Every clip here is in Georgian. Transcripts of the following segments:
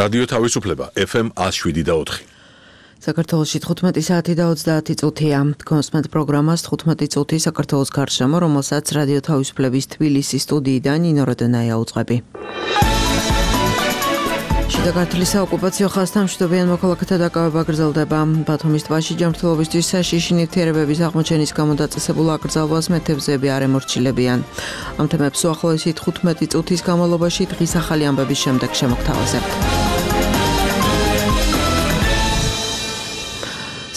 რადიო თავისუფლება FM 107.4. საქართველოში 15 საათი და 30 წუთია. კონსმენტ პროგრამას 15 წუთი საქართველოს გარშემო, რომელსაც რადიო თავისუფლების თბილისის სტუდიიდან ნინო როდენაია უძღვები. შიდა ქართლის საოკუპაციო ხაზთან მშვიდობიან მოქალაქეთა დაკავება გრძელდება. ბათუმის ტბაში ჯანმრთელობისთვის საშიში ნივთიერებების აღმოჩენის გამო დაწესებულ აკრძალვას მეთევზეები არ ემორჩილებიან. ამ თემებს უახლოესი 15 წუთის განმავლობაში დღის ახალი ამბების შემდეგ შემოგთავაზებთ.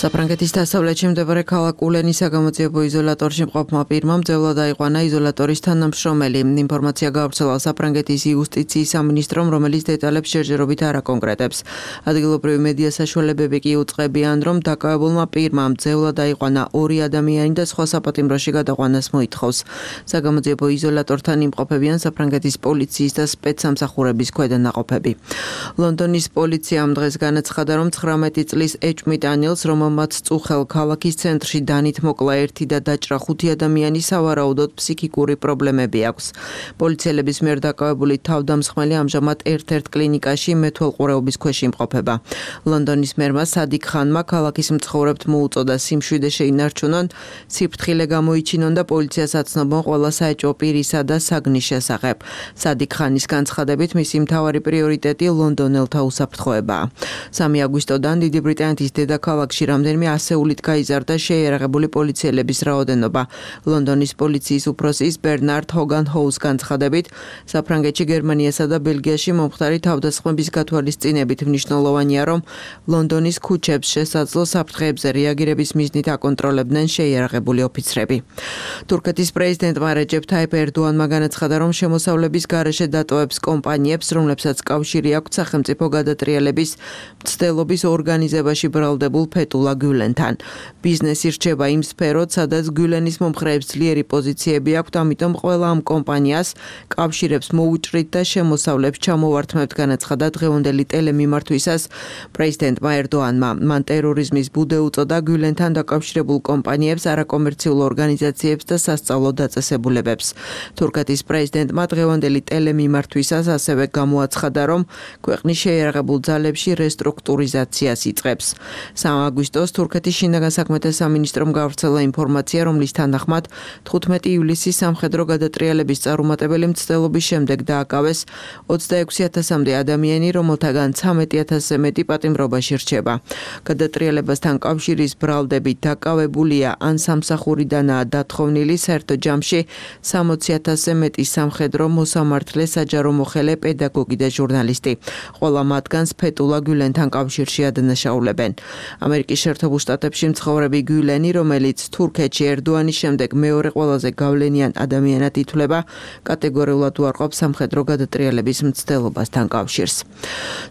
საფრანგეთის დასავლეთში მდებარე ქალაქ ულენის საგამოძიებო იზოლატორში მყოფმა პირმა მძევლად დაიყვანა იზოლატორის თანამშრომელი. ინფორმაცია გავრცელა საფრანგეთის იუსტიციის სამინისტრომ, რომელიც დეტალებს ჯერჯერობით არ აკონკრეტებს. ადგილობრივი მედია საშუალებები კი უწყებიან, რომ დაკავებულმა პირმა მძევლად დაიყვანა 2 ადამიანი და სხვა საპატიმროში გადაყვანას მოითხოვს. საგამოძიებო იზოლატორთან იმყოფებიან საფრანგეთის პოლიციის და სპეცსამსახურების ქვედანაყოფები. ლონდონის პოლიციამ დღეს განაცხადა, რომ 19 წლის ეჭვმიტანილს, მათ წუხელ ქალაქის ცენტრში დანით მოკლა 1 და დაჭრა 5 ადამიანი სავარაუდოდ ფსიქიკური პრობლემები აქვს. პოლიციელების მიერ დაკავებული თავდამსხმელი ამჟამად ერთ-ერთ კლინიკაში მეთვალყურეობის ქვეშ იმყოფება. ლონდონის მერმა სადიკ ხანმა ქალაქის მცხოვრებთ მოუწოდა სიმშვიდე შეინარჩუნონ, სიფრთხილე გამოიჩინონ და პოლიციას აცნობონ ყველა საეჭვო პირისა და საგნის შესახებ. სადიკ ხანის განცხადებით მისი მთავარი პრიორიტეტი ლონდონელთა უსაფრთხოებაა. 3 აგვისტოდან დიდი ბრიტანეთის დედაქალაქში რამდენიმე ასეულით გაიზარდა შეიარაღებული პოლიციელების რაოდენობა. ლონდონის პოლიციის უფროსის ბერნარდ ჰოგან ჰოუს განცხადებით, საფრანგეთში, გერმანიასა და ბელგიაში მომხდარი თავდასხმების გათვალისწინებით მნიშვნელოვანია, რომ ლონდონის ქუჩებს შესაძლო საფრთხეებზე რეაგირების მიზნით აკონტროლებდნენ შეიარაღებული ოფიცრები. თურქეთის პრეზიდენტმა რეჯეფ თაიპ ერდოანმა განაცხადა, რომ შემოსავლების გარეშე დატოვებს კომპანიებს, რომლებსაც კავშირი აქვთ სახელმწიფო გადატრიალების მცდელობის ორგანიზებაში ბრალდებულ ფეტულა გულენთან. ბიზნესი რჩება იმ სფეროთ, სადაც გულენის მომხრეებს ძლიერი პოზიციები აქვთ, ამიტომ ყველა ამ კომპანიას კავშირებს მოუჭრით და შემოსავლებს ჩამოვართმევთ, განაცხადა დღევანდელი ტელემიმართვისას პრეზიდენტმა ერდოანმა. მან ტერორიზმის ბუდე უწოდა გულენთან დაკავშირებულ კომპანიებს, არაკომერციულ ორგანიზაციებს და სასწავლო დაწესებულებებს. თურქეთის პრეზიდენტმა დღევანდელი ტელემიმართვისას ასევე გამოაცხადა, რომ ქვეყნის შეიარაღებულ ძალებში რესტრუქტურიზაციას იწყებს. 3 აგვისტოს თურქეთის შინაგან საქმეთა სამინისტრომ გავრცელა ინფორმაცია, რომლის თანახმად 15 ივლისის სამხედრო გადატრიალების წარუმატებელი მცდელობის შემდეგ დააკავეს 26,000-მდე ადამიანი, რომელთაგან 13,000-ზე მეტი პატიმრობაში რჩება. გადატრიალებასთან კავშირის ბრალდებით დაკავებულია ან სამსახურიდანაა დათხოვნილი საერთო ჯამში 60,000-ზე მეტი სამხედრო მოსამართლე, საჯარო მოხელე, პედაგოგი და ჟურნალისტი. ყველა მათგანს ფეტულა გულენთან კავშირში ადანაშაულებენ. ამერიკის შეერთებულ შტატებში მცხოვრები გულენი, რომელიც თურქეთში ერდოანის შემდეგ მეორე ყველაზე გავლენიან ადამიანად ითვლება, კატეგორიულად უარყოფს სამხედრო გადატრიალების მცდელობასთან კავშირს.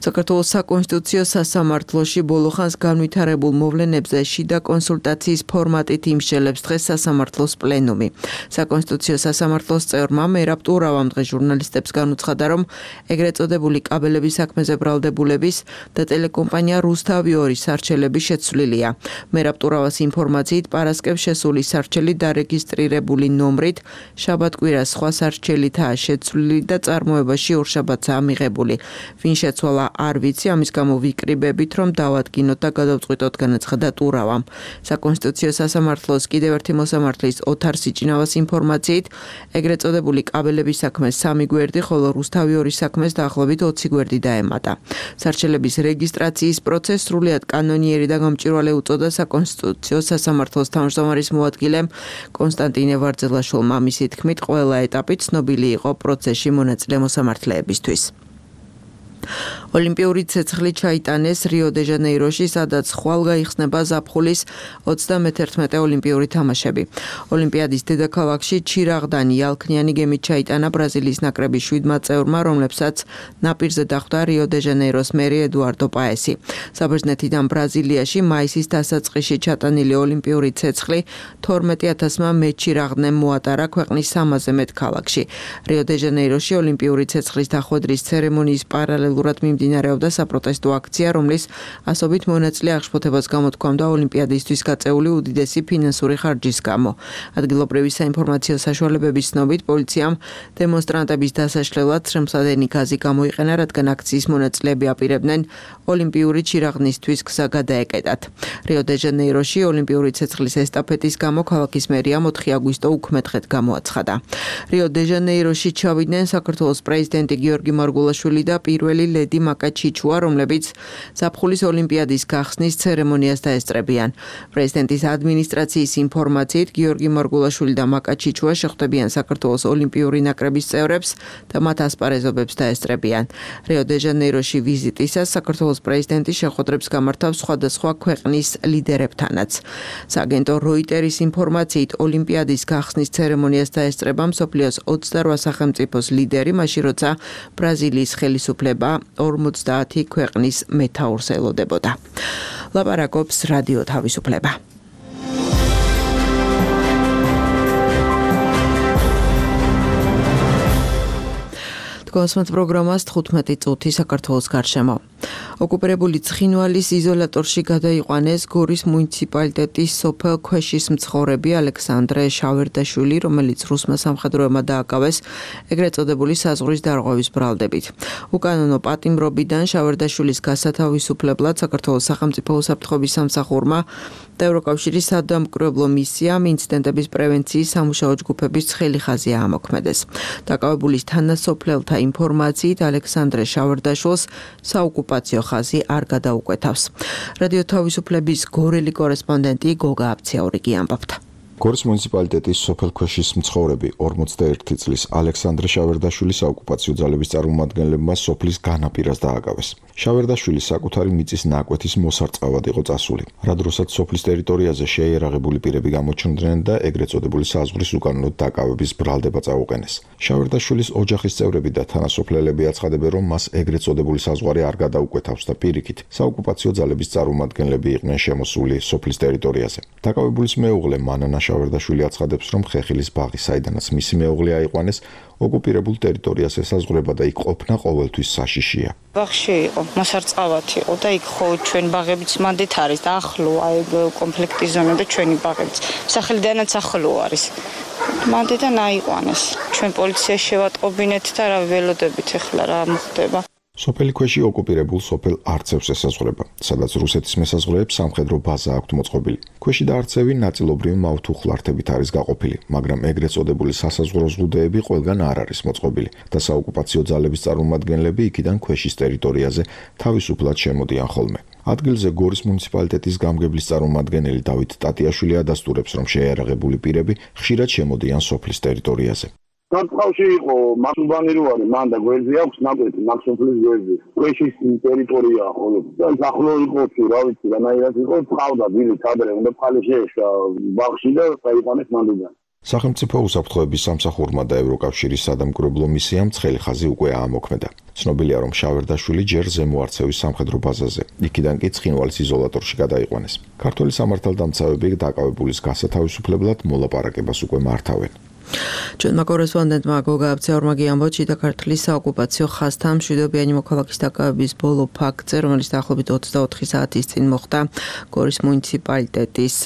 საქართველოს საკონსტიტუციო სასამართლოში ბოლო ხანს განვითარებულ მოვლენებზე შიდა კონსულტაციის ფორმატით იმსჯელებს დღეს სასამართლოს პლენუმი. საკონსტიტუციო სასამართლოს წევრმა მერაბ ტურავამ დღეს ჟურნალისტებს განუცხადა, რომ ეგრეთ წოდებული კაბელების საქმეზე ბრალდებულების და ტელეკომპანია რუსთავი 2 სარჩელები შეცვლილია. მერაბ ტურავას ინფორმაციით პარასკევს შესული სარჩელი დარეგისტრირებული ნომრით შაბათ-კვირას სხვა სარჩელითაა შეცვლილი და წარმოებაში ორშაბათსაა მიღებული. ვინ შეცვალა არ ვიცი, ამის გამო ვიკრიბებით, რომ დავადგინოთ და გადავწყვიტოთ, განაცხადა ტურავამ. საკონსტიტუციო სასამართლოს კიდევ ერთი მოსამართლის ოთარ სიჭინავას ინფორმაციით ეგრეთ წოდებული კაბელების საქმეს 3 გვერდი, ხოლო რუსთავი 2 საქმეს დაახლოებით 20 გვერდი დაემატა. სარჩელების რეგისტრაციის პროცესს სრულიად კანონიერი და გამჭვირვალე უწოდა საკონსტიტუციო სასამართლოს თავმჯდომარის მოადგილემ კონსტანტინე ვარძელაშვილმა. მისი თქმით, ყველა ეტაპი ცნობილი იყო პროცესში მონაწილე მოსამართლეებისთვის. ოლიმპიური ცეცხლი ჩაიტანეს რიო-დე-ჟანეიროში, სადაც ხვალ გაიხსნება ზაფხულის 31 ოლიმპიური თამაშები. ოლიმპიადის დედაქალაქში ჩირაღდანი ალქნიანი გემით ჩაიტანა ბრაზილიის ნაკრების 7 წევრმა, რომლებსაც ნაპირზე დახვდა რიო-დე-ჟანეიროს მერი ედუარდო პაესი. საბერძნეთიდან ბრაზილიაში მაისის დასაწყისში ჩატანილი ოლიმპიური ცეცხლი 12,000-მა მეჩირაღდნემ მოატარა ქვეყნის 300-ზე მეტ ქალაქში. რიო-დე-ჟანეიროში ოლიმპიური ცეცხლის დახვედრის ცერემონიის პარალელურად მიმდინარეობდა მიმდინარეობდა საპროტესტო აქცია, რომლის ასობით მონაწილე აღშფოთებას გამოთქვამდა ოლიმპიადისთვის გაწეული უდიდესი ფინანსური ხარჯის გამო. ადგილობრივი საინფორმაციო საშუალებების ცნობით, პოლიციამ დემონსტრანტების დასაშლელად შემსადენი გაზი გამოიყენა, რადგან აქციის მონაწილეები აპირებდნენ ოლიმპიური ჩირაღნისთვის გზა გადაეკეტათ. რიო-დე-ჟანეიროში ოლიმპიური ცეცხლის ესტაფეტის გამო ქალაქის მერიამ 4 აგვისტო უქმედღეთ გამოაცხადა. რიო-დე-ჟანეიროში ჩავიდნენ საქართველოს პრეზიდენტი გიორგი მარგულაშვილი და პირველი ლედი მაკა ჩიჩუა, რომლებიც ზაფხულის ოლიმპიადის გახსნის ცერემონიას დაესწრებიან. პრეზიდენტის ადმინისტრაციის ინფორმაციით, გიორგი მარგულაშვილი და მაკა ჩიჩუა შეხვდებიან საქართველოს ოლიმპიური ნაკრების წევრებს და მათ ასპარეზობებს დაესწრებიან. რიო-დე-ჟანეიროში ვიზიტისას საქართველოს პრეზიდენტი შეხვედრებს გამართავს სხვადასხვა ქვეყნის ლიდერებთანაც. სააგენტო როიტერის ინფორმაციით, ოლიმპიადის გახსნის ცერემონიას დაესწრება მსოფლიოს 28 სახელმწიფოს ლიდერი, მაშინ როცა ბრაზილიის ხელისუფლება 50 ქვეყნის მეთაურს ელოდებოდა. ლაპარაკობს რადიო თავისუფლება. კონსმეთ პროგრამას 15 წუთი საქართველოს გარშემო. ოკუპირებული ცხინვალის იზოლატორში გადაიყვანეს გორის მუნიციპალიტეტის სოფელ ქვეშის მცხოვრები ალექსანდრე შავერდაშვილი, რომელიც რუსმა სამხედროებმა დააკავეს ეგრეთ წოდებული საზღვრის დარღვევის ბრალდებით. უკანონო პატიმრობიდან შავერდაშვილის გასათავისუფლებლად საქართველოს სახელმწიფო უსაფრთხოების სამსახურმა და ევროკავშირის სადამკვირვებლო მისიამ ინციდენტების პრევენციის სამუშაო ჯგუფების ცხელი ხაზი აამოქმედეს. დაკავებულის თანასოფლელთა ინფორმაციით, ალექსანდრე შავერდაშვილს საოკუპაციო ხაზი არ გადაუკვეთავს. რადიო თავისუფლების გორელი კორესპონდენტი გოგა აბციაურიგი ამბობდა. გორის მუნიციპალიტეტის სოფელ ქვეშის მცხოვრები 41 წლის ალექსანდრე შავერდაშვილი საოკუპაციო ძალების წარმომადგენლებმა სოფლის განაპირას დააკავეს. შავერდაშვილი საკუთარი მიწის ნაკვეთის მოსარწყავად იყო წასული, რა დროსაც სოფლის ტერიტორიაზე შეიარაღებული პირები გამოჩნდნენ და ეგრეთ წოდებული საზღვრის უკანონოდ დაკავების ბრალდება წაუყენეს. შავერდაშვილის ოჯახის წევრები და თანასოფლელები აცხადებენ, რომ მას ეგრეთ წოდებული საზღვარი არ გადაუკვეთავს და პირიქით საოკუპაციო ძალების წარმომადგენლები იყვნენ შემოსული სოფლის ტერიტორიაზე. დაკავებულის მეუღლე მანანა შავერდაშვილი აცხადებს, რომ ხეხილის ბაღი, საიდანაც მისი მეუღლე აიყვანეს, ოკუპირებულ ტერიტორიას ესაზღვრება და იქ ყოფნა ყოველთვის საშიშია. ბაღში იყო, მოსარწყავად იყო და იქ ხო ჩვენ ბაღებიც მანდით არის და ახლო აი კონფლიქტის ზონა და ჩვენი ბაღებიც. სახელიდანაც ახლო არის. მანდიდან აიყვანეს. ჩვენ პოლიციაში შევატყობინეთ და რა ველოდებით ახლა რა მოხდება. სოფელი ქვეში ოკუპირებულ სოფელ არცევს ესაზღვრება, სადაც რუსეთის მესაზღვრეებს სამხედრო ბაზა აქვთ მოწყობილი. ქვეში და არცევი ნაწილობრივ მაუთუხლართებით არის გაყოფილი, მაგრამ ეგრეთ წოდებული სასაზღვრო ზღუდეები ყველგან არ არის მოწყობილი და საოკუპაციო ძალების წარმომადგენლები იქიდან ქვეშის ტერიტორიაზე თავისუფლად შემოდიან ხოლმე. ადგილზე გორის მუნიციპალიტეტის გამგებლის წარმომადგენელი დავით ტატიაშვილი ადასტურებს, რომ შეიარაღებული პირები ხშირად შემოდიან სოფლის ტერიტორიაზე. საწავში იყო მასუბანი რო არის, მან და გვერდზე აქვს ნაკვეთი, მაქსოფლის გვერდზე. ქვეშის ტერიტორია ხოლმე. და ახლო იყო თუ რა ვიცი, რანაირად იყო, ყავდა დილით ადრე, უნდა ფალი შეეშვა ბაღში და წაიყვანეს მანდიდან. სახელმწიფო უსაფრთხოების სამსახურმა და ევროკავშირის სადამკვირვებლო მისიამ ცხელი ხაზი უკვე აამოქმედა. ცნობილია, რომ შავერდაშვილი ჯერ ზემო არცევის სამხედრო ბაზაზე, იქიდან კი ცხინვალის იზოლატორში გადაიყვანეს. ქართველი სამართალდამცავები დაკავებულის გასათავისუფლებლად მოლაპარაკებას უკვე მართავენ. ჩვენმა კორესპონდენტმა გოგა აბციაურმა გიამბოჩი და ქართლის საოკუპაციო ხაზთან მშვიდობიანი მოქალაქის დაკავების ბოლო ფაქტზე, რომელიც დაახლოებით 24 საათის წინ მოხდა გორის მუნიციპალიტეტის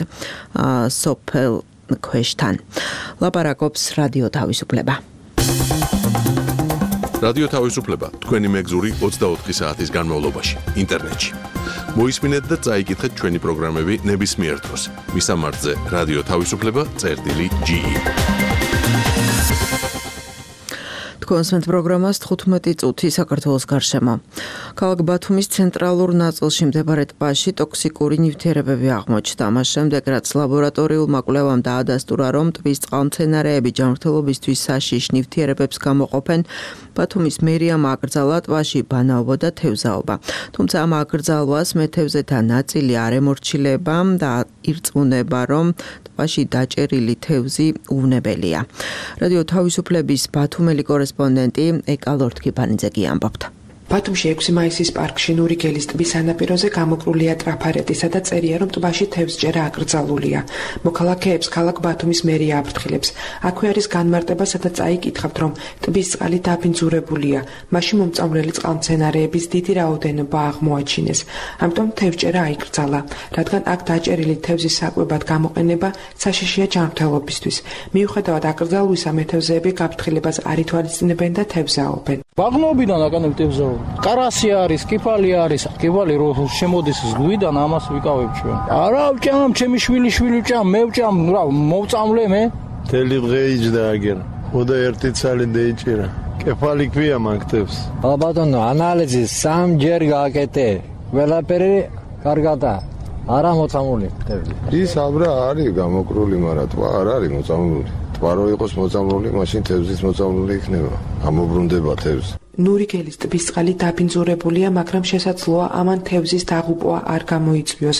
სოფელ ქვეშთან. ლაპარაკობს რადიო თავისუფლება. რადიო თავისუფლება თქვენი მეგზური 24 საათის განმავლობაში ინტერნეტში. მოისმინეთ და წაიკითხეთ ჩვენი პროგრამები ნებისმიერ დროს. მისამართზე რადიო თავისუფლება.ge. კონსმეთ პროგრამას 15 წუთი საქართველოს გარშემო. ქალაქ ბათუმის ცენტრალურ ნაწილში მდებარე ტბაში ტოქსიკური ნივთიერებები აღმოჩნდა. მას შემდეგ, რაც ლაბორატორიულმა კვლევამ დაადასტურა, რომ ტბის წყალმცენარეები ჯანმრთელობისთვის საშიშ ნივთიერებებს გამოყოფენ, ბათუმის მერიამ აკრძალა ტბაში ბანაობა და თევზაობა. თუმცა ამ აკრძალვას მეთევზეთა ნაწილი არ ემორჩილება და ირწმუნება, რომ ტბაში დაჭერილი თევზი უვნებელია. რადიო თავისუფლების ბათუმელი კორესპონდენტი ეკა ლორთქიფანიძე ამბობდა. ბათუმში 6 მაისის პარკში ნურიგელის ტბის სანაპიროზე გამოკრულია ტრაფარეტი, სადაც წერია, რომ ტბაში თევზჭერა აკრძალულია. მოქალაქეებს ქალაქ ბათუმის მერია აფრთხილებს. აქვე არის განმარტება, სადაც წაიკითხავთ, რომ ტბის წყალი დაბინძურებულია. მაშინ მომწამლელი წყალმცენარეების დიდი რაოდენობა აღმოაჩინეს. ამიტომ თევზჭერა აიკრძალა, რადგან აქ დაჭერილი თევზის საკვებად გამოყენება საშიშია ჯანმრთელობისთვის. მიუხედავად აკრძალვისა, მეთევზეები გაფრთხილებას არ ითვალისწინებენ და თევზაობენ. ბაღნობიდან აკანებ თევზაო. კარასი არის, კიფალი არის. კიფალი რო შემოდის ზღვიდან, ამას ვიკავებ ჩვენ. არა ვჭამ, ჩემი შვილი ვჭამ, მე ვჭამ, რა მოვწამლე მე. თელი დღე იჯდა აგერ. ხოდა ერთი ცალი დაიჭირა. კეფალი ქვია მაგთებს. ბატონო, ანალიზი 3 ჯერ გააკეთე. ყველაფერი კარგადა. არა მოწამული თევზი. ის აბრა არის გამოკრული, მაგრამ ტბა არ არის მოწამლული. ტბა რო იყოს მოწამლული, მაშინ თევზიც მოწამლული იქნება. ამობრუნდება თევზი. ნურიგელის ტბის წყალი დაბინძურებულია, მაგრამ შესაძლოა ამან თევზის დაღუპვა არ გამოიწვიოს.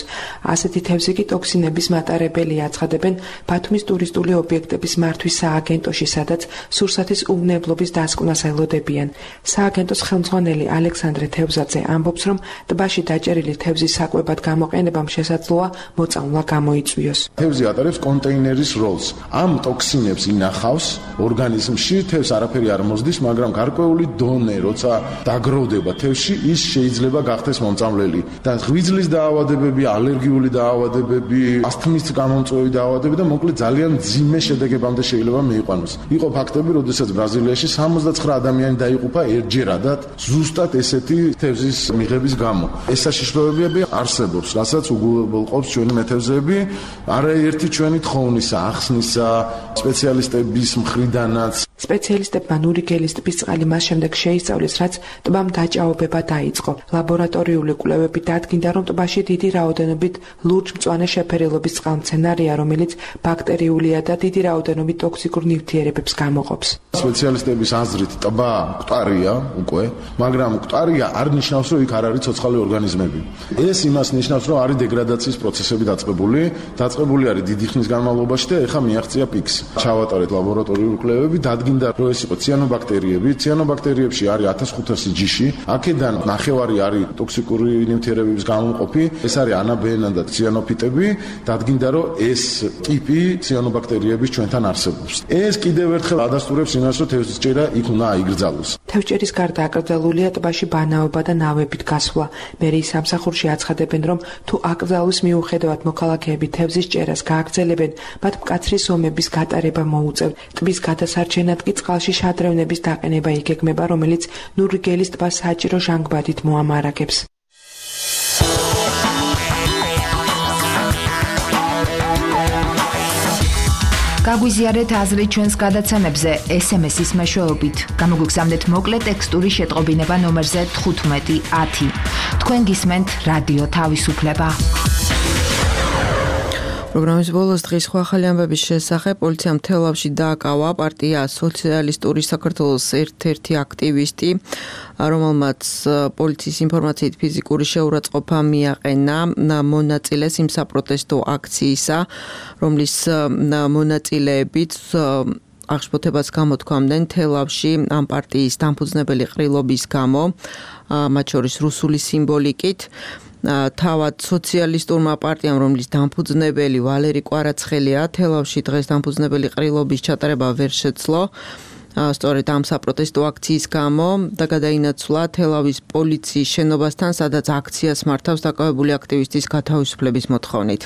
ასეთი თევზი კი ტოქსინების მატარებელია, აცხადებენ ბათუმის ტურისტული ობიექტების მართვის სააგენტოში, სადაც სურსათის უვნებლობის დასკვნას ელოდებიან. სააგენტოს ხელმძღვანელი ალექსანდრე თევზაძე ამბობს, რომ ტბაში დაჭერილი თევზის საკვებად გამოყენებამ შესაძლოა მოწამვლა გამოიწვიოს. თევზი ატარებს კონტეინერის როლს. ამ ტოქსინებს ინახავს ორგანიზმში, თევზს არაფერი არ მოსდის, მაგრამ გარკვეული დონე როცა დაგროვდება თევზში, ის შეიძლება გახდეს მომწამლელი. და ღვიძლის დაავადებები, ალერგიული დაავადებები, ასთმის გამომწვევი დაავადებები და მოკლედ ძალიან მძიმე შედეგებამდე შეიძლება მიიყვანოს. იყო ფაქტები, როდესაც ბრაზილიაში 79 ადამიანი დაიღუპა ერთჯერადად ზუსტად ესეთი თევზის მიღების გამო. ეს საშიშროებები არსებობს, რასაც უგულყოფს ჩვენი მეთევზეები, არაერთი ჩვენი თხოვნისა, ახსნისა, სპეციალისტების მხრიდანაც. სპეციალისტებმა ნურიგელის ტბის წყალი მას შემდეგ შეისწავლეს, რაც ტბამ დაჭაობება დაიწყო. ლაბორატორიული კვლევები დადგინდა, რომ ტბაში დიდი რაოდენობით ლურჯ-მწვანე შეფერილობის წყალმცენარეა, რომელიც ბაქტერიულია და დიდი რაოდენობით ტოქსიკურ ნივთიერებებს გამოყოფს. სპეციალისტების აზრით ტბა მკვდარია უკვე, მაგრამ მკვდარია არ ნიშნავს, რომ იქ არ არის ცოცხალი ორგანიზმები. ეს იმას ნიშნავს, რომ არის დეგრადაციის პროცესები დაწყებული არის დიდი ხნის განმავლობაში და ეხლა მიაღწია პიკს. ჩავატარეთ ლაბორატორიული კვლევები, დადგინდა, რომ ეს იყო ციანობაქტერიები. ციანობაქტერიებში არის 1500 ჯიში. აქედან ნახევარი არის ტოქსიკური ნივთიერებების გამომყოფი. ეს არის ანაბენა და ციანოფიტები. დადგინდა, რომ ეს ტიპი ციანობაქტერიების ჩვენთან არსებობს. ეს კიდევ ერთხელ ადასტურებს იმას, რომ თევზჭერა იქ უნდა აიგრძალოს. თევზჭერის გარდა აკრძალულია ტბაში ბანაობა და ნავებით გასვლა. მერიის სამსახურში აცხადებენ, რომ თუ აკრძალვის მიუხედავად მოქალაქეები თევზის ჭერას გააგრძელებენ, მათ მკაცრი ზომების გატარება მოუწევთ. ტბის გადასარჩენად კი წყალში შადრევნების დაყენება იგეგმება, რომელიც ნურიგელის ტბას საჭირო ჟანგბადით მოამარაგებს. გაგვიზიარეთ აზრი ჩვენს გადაცემებზე SMS-ის მეშვეობით. გამოგვიგზავნეთ მოკლე ტექსტური შეტყობინება ნომერზე 1510. თქვენ გისმენთ რადიო თავისუფლება. პროგრამის ბოლოს დღის სხვა ახალი ამბების შესახებ პოლიციამ თელავში დააკავა პარტია სოციალისტური საქართველოს ერთ-ერთი აქტივისტი, რომელმაც პოლიციის ინფორმაციით ფიზიკური შეურაცხყოფა მიაყენა მონაწილეს იმ საპროტესტო აქციისა, რომლის მონაწილეებიც აღშფოთებას გამოთქვამდნენ თელავში ამ პარტიის დამფუძნებელი ყრილობის გამო, მათ შორის რუსული სიმბოლიკით. თავად სოციალისტურმა პარტიამ, რომლის დამფუძნებელი ვალერი კვარაცხელია, თელავში დღეს დამფუძნებელი ყრილობის ჩატარება ვერ შეძლო. სწორედ ამ საპროტესტო აქციის გამო და გადაინაცვლა თელავის პოლიციის შენობასთან, სადაც აქციას მართავს დაკავებული აქტივისტის გათავისუფლების მოთხოვნით.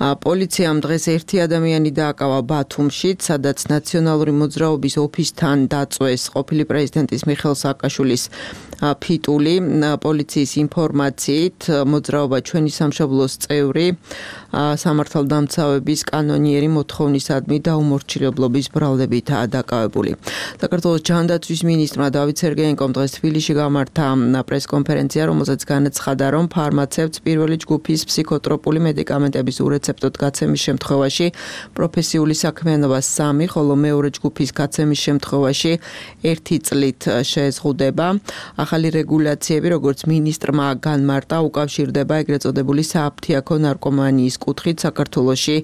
პოლიციამ დღეს ერთი ადამიანი დააკავა ბათუმში, სადაც ნაციონალური მოძრაობის ოფისთან დაწვეს ყოფილი პრეზიდენტის მიხეილ სააკაშვილის ფიტული. პოლიციის ინფორმაციით მოძრაობა ჩვენი სამშობლოს წევრი სამართალდამცავების კანონიერი მოთხოვნისადმი დაუმორჩილებლობის ბრალდებითაა დაკავებული. საქართველოს ჯანდაცვის მინისტრმა დავით სერგეენკომ დღეს თბილისში გამართა პრესკონფერენცია, რომელზეც განაცხადა, რომ ფარმაცევტს პირველი ჯგუფის ფსიქოტროპული მედიკამენტების ურეცეპტოდ გაცემის შემთხვევაში პროფესიული საქმიანობა 3, ხოლო მეორე ჯგუფის გაცემის შემთხვევაში 1 წლით შეეზღუდება. ახალი რეგულაციები, როგორც მინისტრმა განმარტა, უკავშირდება ეგრეთ წოდებული სააფთიაქო ნარკომანიის კუთხით საქართველოში